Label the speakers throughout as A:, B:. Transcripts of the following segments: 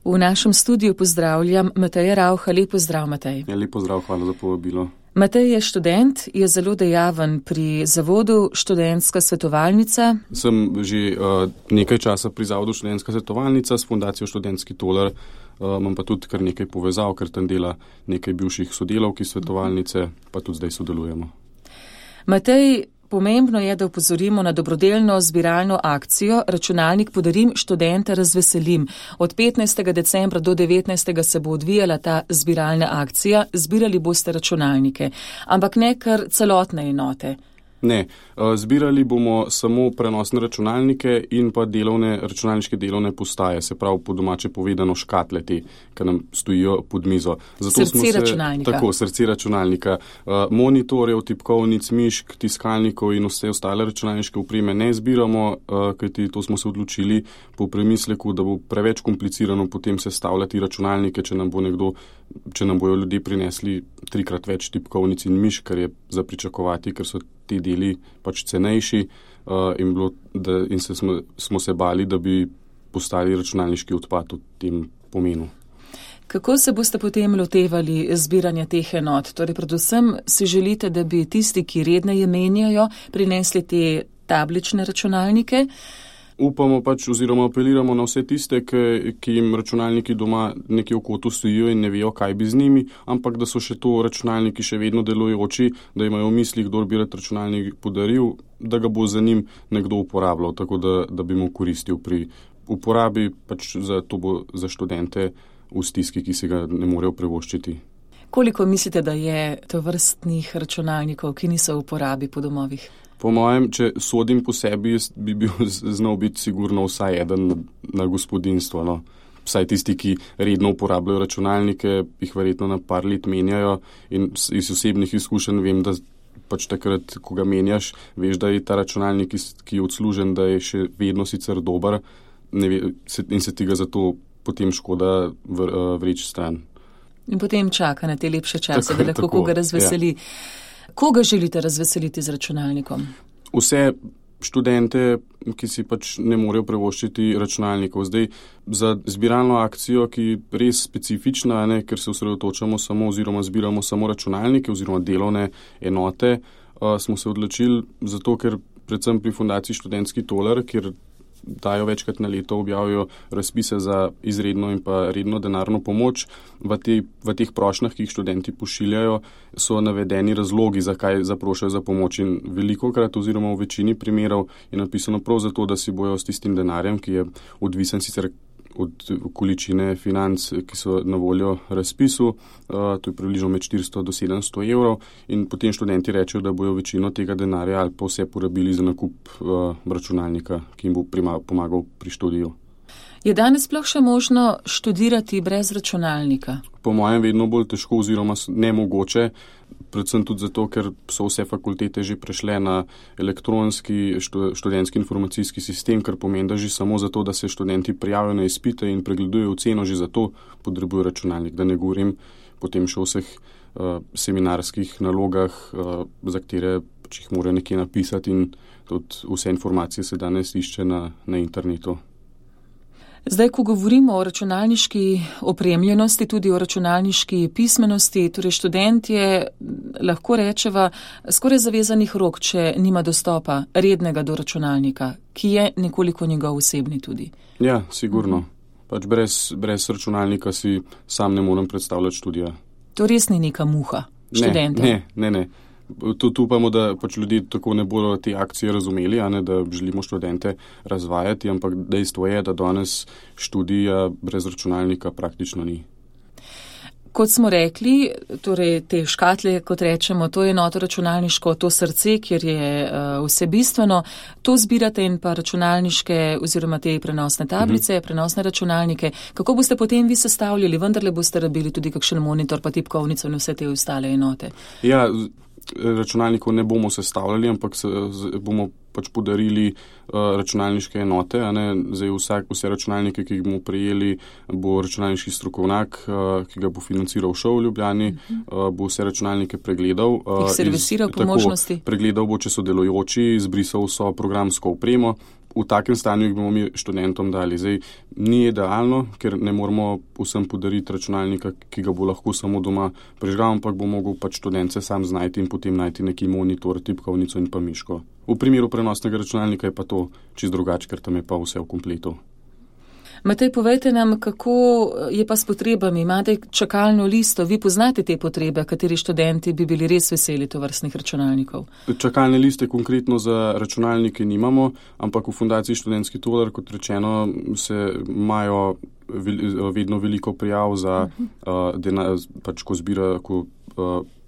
A: V našem studiu pozdravljam Mateja Rauha. Lep pozdrav, Matej.
B: Ja, lep pozdrav, hvala za povabilo.
A: Matej je študent, je zelo dejaven pri zavodu Študentska svetovalnica.
B: Sem že nekaj časa pri zavodu Študentska svetovalnica s fundacijo Študentski tolar. Imam pa tudi kar nekaj povezav, ker tam dela nekaj bivših sodelavk iz svetovalnice, pa tudi zdaj sodelujemo.
A: Matej, pomembno je, da opozorimo na dobrodelno zbiralno akcijo Računalnik podarim, študente razveselim. Od 15. decembra do 19. se bo odvijala ta zbiralna akcija. Zbirali boste računalnike, ampak ne kar celotne enote.
B: Ne, zbirali bomo samo prenosne računalnike in pa računalniške delovne postaje, se pravi po domače povedano škatle te, ki nam stojijo pod mizo.
A: Računalnika.
B: Tako, srce računalnika. Monitorjev, tipkovnic, mišk, tiskalnikov in vse ostale računalniške opreme ne zbiramo, kajti to smo se odločili po premisleku, da bo preveč komplicirano potem sestavljati računalnike, če nam bojo ljudje prinesli 3-krat več tipkovnic in mišk, kar je za pričakovati, ker so ti deli pač cenejši in smo se bali, da bi postali računalniški odpad v tem pomenu.
A: Kako se boste potem lotevali zbiranja teh enot? Torej, predvsem si želite, da bi tisti, ki redneje menjajo, prinesli te tablične računalnike?
B: Upamo pač oziroma apeliramo na vse tiste, ki jim računalniki doma nekje v kotu stojijo in ne vejo, kaj bi z njimi, ampak da so še to računalniki še vedno delujoči, da imajo v mislih, kdor bi rad računalnik podaril, da ga bo za njim nekdo uporabljal, tako da bi mu koristil pri uporabi, pač to bo za študente v stiski, ki si ga ne morejo privoščiti.
A: Koliko mislite, da je tovrstnih računalnikov, ki niso v uporabi po domovih?
B: Po mojem, če sodim po sebi, bi bil znal biti sigurno vsaj eden na gospodinstvo. No. Vsaj tisti, ki redno uporabljajo računalnike, jih verjetno na par let menjajo in iz osebnih izkušenj vem, da pač takrat, ko ga menjaš, veš, da je ta računalnik, ki je odslužen, da je še vedno sicer dober in se ti ga zato potem škoda vreči stran.
A: In potem čaka na te lepše čase, da lahko koga razveseli. Ja. Koga želite razveseliti z računalnikom?
B: Vse študente, ki si pač ne morejo privoščiti računalnikov. Zdaj, za zbiralno akcijo, ki je res specifična, ker se osredotočamo samo oziroma zbiramo samo računalnike oziroma delovne enote, smo se odločili zato, ker predvsem pri fundaciji Študentski tolar, kjer dajo večkrat na leto, objavijo razpise za izredno in pa redno denarno pomoč. V teh prošnjah, ki jih študenti pošiljajo, so navedeni razlogi, zakaj zaprošajo za pomoč in velikokrat oziroma v večini primerov je napisano prav zato, da si bojo s tistim denarjem, ki je odvisen sicer od količine financ, ki so na voljo razpisu, to je približno med 400 do 700 evrov in potem študenti rečejo, da bojo večino tega denarja ali pa vse porabili za nakup računalnika, ki jim bo pomagal pri študiju.
A: Je danes sploh še možno študirati brez računalnika?
B: Po mojem vedno bolj težko oziroma nemogoče, predvsem tudi zato, ker so vse fakultete že prešle na elektronski študentski informacijski sistem, kar pomeni, da že samo zato, da se študenti prijavijo na izpite in pregledujejo oceno, že zato potrebujejo računalnik, da ne govorim potem še o vseh seminarskih nalogah, za katere jih morajo nekje napisati in tudi vse informacije se danes išče na internetu.
A: Zdaj, ko govorimo o računalniški opremljenosti, tudi o računalniški pismenosti, torej študent je, lahko rečeva, skoraj zavezanih rok, če nima dostopa rednega do računalnika, ki je nekoliko njegov osebni tudi. Ja,
B: sigurno. Pač brez računalnika si sam ne morem predstavljati študija.
A: To res ni neka muha študenta?
B: Ne. Tudi upamo, da pač ljudje tako ne bodo te akcije razumeli, da želimo študente razvajati, ampak dejstvo je, da danes študija brez računalnika praktično ni.
A: Kot smo rekli, torej te škatle, kot rečemo, to je enoto računalniško, to srce, kjer je vse bistveno, to zbirate in pa računalniške oziroma te prenosne tablice, prenosne računalnike. Kako boste potem vi sestavljali? Vendarle boste rabili tudi kakšen monitor, pa tipkovnico in vse te ostale enote?
B: Ja, računalnikov ne bomo sestavljali, ampak bomo pač podarili računalniške enote. Zdaj vse računalnike, ki jih bomo prejeli, bo računalniški strokovnjak, ki ga bo financiral ŠOU v Ljubljani, bo vse računalnike pregledal.
A: Jih servisiral po možnosti?
B: Pregledal bo, če so delujoči, izbrisal vso programsko opremo, v takem stanju jih bomo mi študentom dali. Zdaj, ni idealno, ker ne moramo vsem podariti računalnika, ki ga bo lahko samo doma prižgal, ampak bo mogel pač študent se sam znajti in potem najti neki monitor, tipkovnico in pa miško. V primeru prenosnega računalnika je pa to čisto drugače, ker tam je pa vse v kompletu.
A: Matej, povejte nam, kako je pa s potrebami. Imate čakalno listo, vi poznate te potrebe, kateri študenti bi bili res veseli tovrstnih računalnikov?
B: Čakalne liste konkretno za računalnike nimamo, ampak v Fundaciji Študentski tolar, kot rečeno, se imajo vedno veliko prijav za denar, pač ko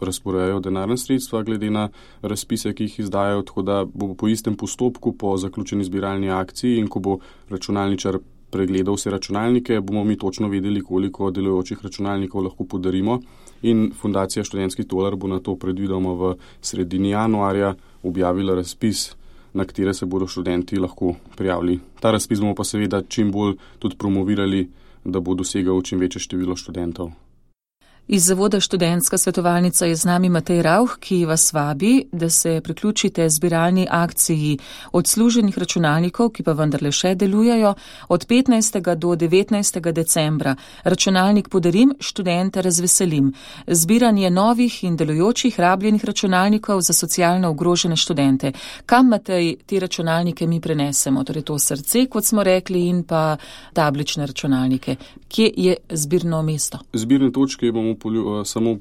B: razporejajo denarna sredstva glede na razpise, ki jih izdajajo, tako da bo po istem postopku, po zaključeni zbiralni akciji in ko bo računalničar pregledal vse računalnike, bomo mi točno vedeli, koliko delujočih računalnikov lahko podarimo in Fundacija Študentski tolar bo na to predvidoma v sredini januarja objavila razpis, na katere se bodo študenti lahko prijavili. Ta razpis bomo pa seveda čim bolj tudi promovirali, da bo dosegal čim večje število študentov.
A: Iz Zavoda Študentska svetovalnica je z nami Matej Rauch, ki vas vabi, da se priključite zbiralni akciji odsluženih računalnikov, ki pa vendarle še delujejo, od 15. do 19. decembra. Računalnik podarim, študente razveselim. Zbiranje novih in delujočih rabljenih računalnikov za socialno ogrožene študente. Kam, Matej, te računalnike mi prenesemo? Torej to srce, kot smo rekli, in pa tablične računalnike. Kje je zbirno mesto?
B: Zbirne točke bomo samo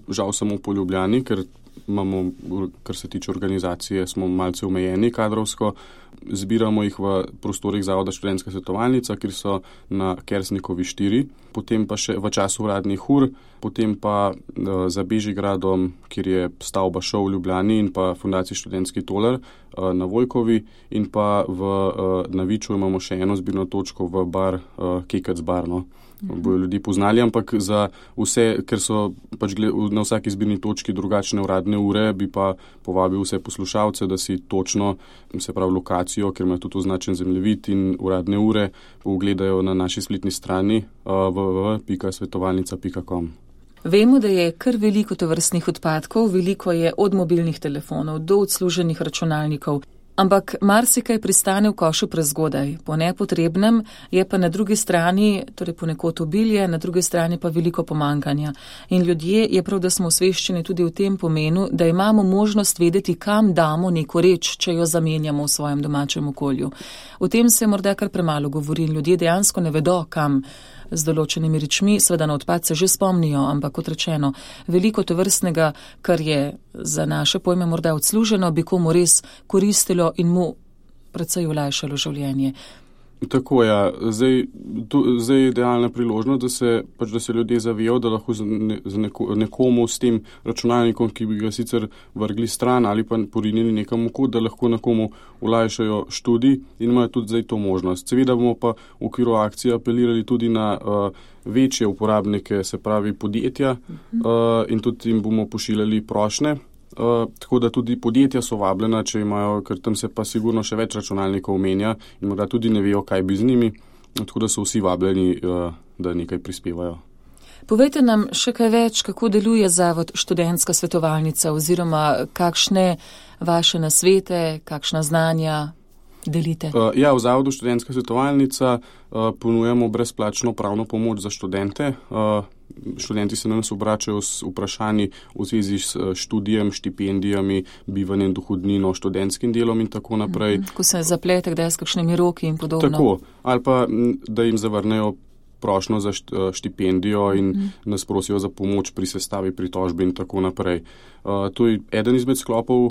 B: po Ljubljani, ker imamo, kar se tiče organizacije, smo malce omejeni kadrovsko. Zbiramo jih v prostorih Zavoda Študentska svetovalnica, kjer so na Kersnikovi 4, potem pa še v času uradnih ur, potem pa za Bežigradom, kjer je stavba ŠOU v Ljubljani in pa Fundacija Študentski tolar na Vojkovi in pa na Viču imamo še eno zbirno točko v bar Kekec bar, no. Bojo ljudi poznali, ampak za vse, ker so pač na vsaki zbirni točki drugačne uradne ure, bi pa povabil vse poslušalce, da si točno, se pravi lokacijo, ker ima tudi označen zemljevid in uradne ure, pogledajo na naši spletni strani www.svetovalnica.com.
A: Vemo, da je kar veliko tovrstnih odpadkov, veliko je od mobilnih telefonov do odsluženih računalnikov. Ampak marsikaj pristane v košu prezgodaj. Po nepotrebnem je pa na drugi strani, torej ponekod obilje, na drugi strani pa veliko pomankanja. In ljudje je prav, da smo osveščeni tudi v tem pomenu, da imamo možnost vedeti, kam damo neko reč, če jo zamenjamo v svojem domačem okolju. O tem se morda kar premalo govori in ljudje dejansko ne vedo, kam z določenimi rečmi, seveda na odpad se že spomnijo, ampak kot rečeno, veliko tovrstnega, kar je za naše pojme morda odsluženo, bi komu res koristilo in mu precej olajšalo življenje.
B: Tako, ja. Zdaj je idealna priložnost, da se ljudje zavejo, da lahko nekomu s tem računalnikom, ki bi ga sicer vrgli stran ali pa porinili nekam v kot, da lahko nekomu olajšajo študij in imajo tudi zdaj to možnost. Seveda bomo pa v okviru akcije apelirali tudi na večje uporabnike, se pravi podjetja, in tudi jim bomo pošiljali prošnje. Tako da tudi podjetja so vabljena, če imajo, ker tam se pa sigurno še več računalnikov omenja in morda tudi ne vejo, kaj bi z njimi, tako da so vsi vabljeni, da nekaj prispevajo.
A: Povejte nam še kaj več, kako deluje Zavod Študentska svetovalnica oziroma kakšne vaše nasvete, kakšna znanja delite?
B: Ja, v Zavodu Študentska svetovalnica ponujamo brezplačno pravno pomoč za študente. Študenti se na nas obračajo s vprašanji v zvezi s študijem, štipendijami, bivanjem, dohodnino, študentskim delom in tako naprej.
A: Ko se zaplete, kdaj s kakšnimi roki in podobno.
B: Tako, ali pa da jim zavrnejo prošnjo za štipendijo in nas prosijo za pomoč pri sestavi pritožbe in tako naprej. To je eden izmed sklopov,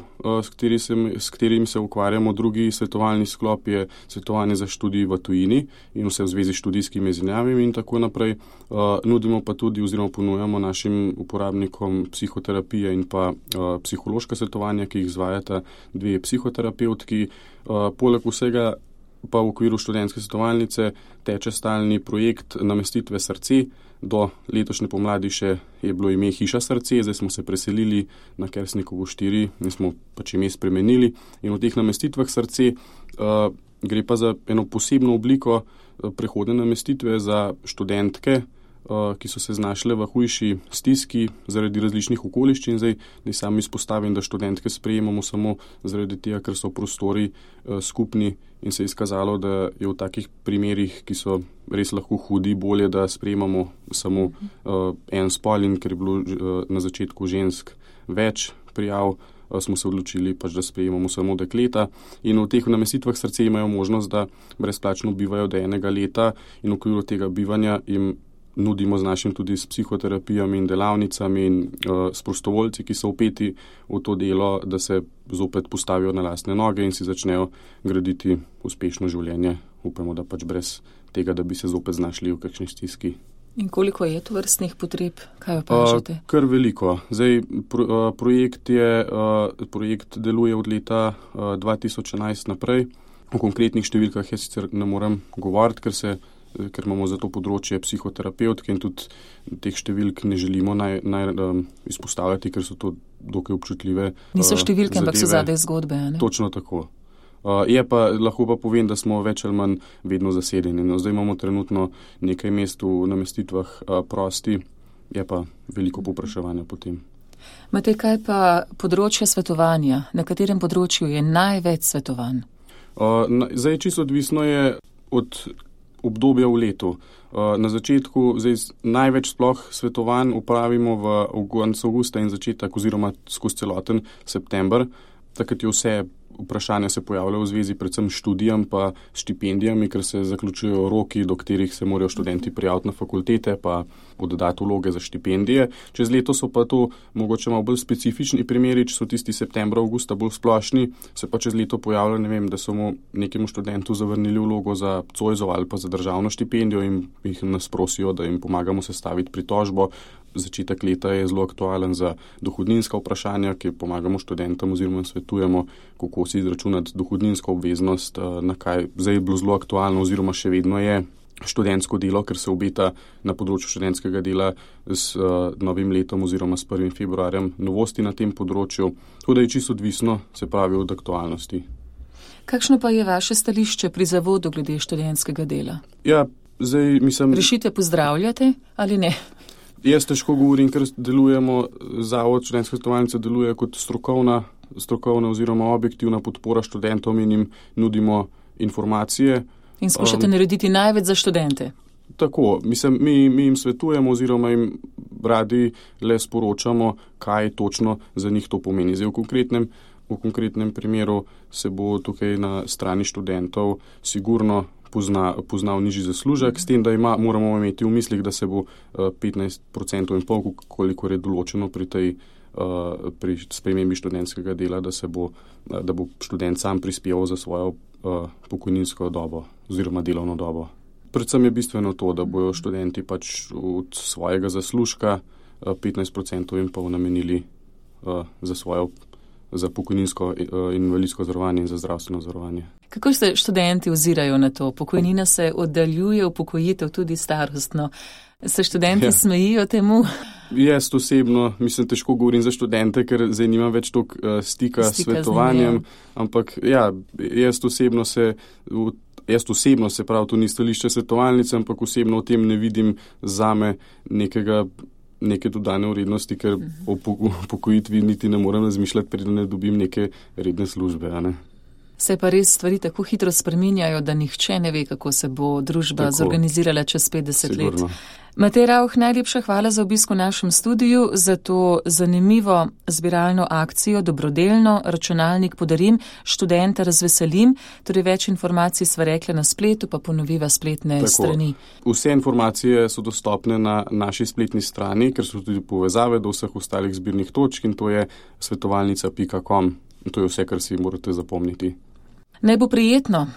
B: s katerim se ukvarjamo. Drugi svetovalni sklop je svetovanje za študij v tujini in vse v zvezi s študijskimi izmenjavami in tako naprej. Nudimo pa tudi oziroma ponujamo našim uporabnikom psihoterapije in pa psihološka svetovanja, ki jih izvajata dve psihoterapevtki. Poleg vsega pa v okviru študentske svetovalnice teče stalni projekt namestitve srce. Do letošnje pomladi še je bilo ime Hiša srce, zdaj smo se preselili na Kersnikovo 4 in smo pač ime spremenili. In v teh namestitvah srce gre pa za eno posebno obliko prehodne namestitve za študentke, ki so se znašle v hujši stiski zaradi različnih okoliščin. Zdaj sam izpostavim, da študentke sprejemamo samo zaradi tega, ker so prostori skupni in se je izkazalo, da je v takih primerih, ki so res lahko hudi, bolje, da sprejemamo samo en spol, in ker je bilo na začetku žensk več prijav, smo se odločili pač, da sprejemamo samo dekleta, in v teh namestitvah srce imajo možnost, da brezplačno bivajo do enega leta, in v okviru tega bivanja jim nudimo z našim tudi s psihoterapijami in delavnicami in s prostovoljci, ki so vpeti v to delo, da se zopet postavijo na lastne noge in si začnejo graditi uspešno življenje. Upamo, da pač brez tega, da bi se zopet znašli v kakšni stiski.
A: In koliko je to vrstnih potreb? Kaj opažate?
B: Kar veliko. Zdaj, projekt deluje od leta 2011 naprej. O konkretnih številkah jaz sicer ne morem govoriti, ker imamo za to področje psihoterapevtke in tudi teh številk ne želimo izpostavljati, ker so to dokaj občutljive
A: Niso številke,
B: zadeve.
A: Ampak so zadaj zgodbe, ne?
B: Točno tako. Lahko pa povem, da smo več ali manj vedno zasedeni. No, zdaj imamo trenutno nekaj mest v namestitvah prosti, je pa veliko povpraševanja potem.
A: Matej, kaj pa področje svetovanja? Na katerem področju je največ svetovanj?
B: Zdaj čisto odvisno je od obdobja v letu. Na začetku največ sploh svetovanj upravimo v koncu avgusta in začetek oziroma skozi celoten september. Takrat je vse vprašanja se pojavljajo v zvezi predvsem s študijam pa štipendijami, ker se zaključujejo roki, do katerih se morajo študenti prijaviti na fakultete pa podati vloge za štipendije. Čez leto so pa to mogoče malo bolj specifični primeri, če so tisti septembra, avgusta bolj splošni, se pa čez leto pojavlja, ne vem, da so mu nekemu študentu zavrnili vlogo za Zoisov ali pa za državno štipendijo in jih nas prosijo, da jim pomagamo sestaviti pritožbo. Začetek leta je zelo aktualen za dohodninska vprašanja, ki pomagamo študentom oziroma svetujemo, kako si izračunati dohodninsko obveznost, na kaj zdaj je bilo zelo aktualno oziroma še vedno je študentsko delo, ker se obeta na področju študentskega dela s novim letom oziroma s 1. februarjem novosti na tem področju. Tako da je čisto odvisno, se pravi, od aktualnosti.
A: Kakšno pa je vaše stališče pri zavodu glede študentskega dela?
B: Ja, zdaj mislim...
A: Rešite pozdravljate ali ne?
B: Jaz težko govorim, ker delujemo, Zavod študentske svetovalnice deluje kot strokovna oziroma objektivna podpora študentom in jim nudimo informacije.
A: In skušate narediti največ za študente?
B: Tako, mislim, mi jim svetujemo oziroma jim radi le sporočamo, kaj točno za njih to pomeni. Zdaj, v konkretnem primeru se bo tukaj na strani študentov sigurno poznal nižji zaslužek, s tem, da moramo imeti v mislih, da se bo 15% in pol, kolikor je določeno pri spremembi študentskega dela, da bo študent sam prispeval za svojo pokojninsko dobo oziroma delovno dobo. Predvsem je bistveno to, da bojo študenti pač od svojega zaslužka 15% in pol namenili za pokojninsko in invalidsko zavarovanje in za zdravstveno zavarovanje.
A: Kako se študenti ozirajo na to? Pokojnina se oddaljuje, upokojitev tudi starostno. Se študenti smejijo temu?
B: Jaz osebno, težko govorim za študente, ker zdaj nimam več toliko stika s svetovanjem, ampak ja, jaz osebno se pravi, to ni stališče svetovalnice, ampak osebno v tem ne vidim zame neke dodane vrednosti, ker o pokojitvi niti ne morem razmišljati, preden ne dobim neke redne službe, a ne?
A: Se pa res stvari tako hitro spreminjajo, da nihče ne ve, kako se bo družba zorganizirala čez 50 let. Matej Rauch, najlepša hvala za obisk v našem studiu, za to zanimivo zbiralno akcijo, dobrodelno, računalnik podarim, študenta razveselim, torej več informacij sva rekla na spletu, pa ponoviva spletne strani.
B: Vse informacije so dostopne na naši spletni strani, ker so tudi povezave do vseh ostalih zbirnih točk in to je svetovalnica.com. To je vse, kar si morate zapomniti.
A: Naj bo prijetno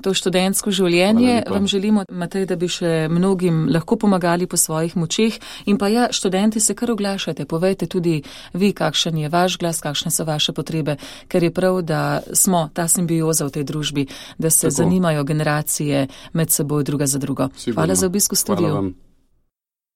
A: to študentsko življenje. Vam želimo, Matej, da bi še mnogim lahko pomagali po svojih močeh. In pa ja, študenti se kar oglašajte, povejte tudi vi, kakšen je vaš glas, kakšne so vaše potrebe, ker je prav, da smo ta simbioza v tej družbi, da se zanimajo generacije med seboj druga za drugo.
B: Sigurno.
A: Hvala za obisk v studiu.
B: Hvala vam.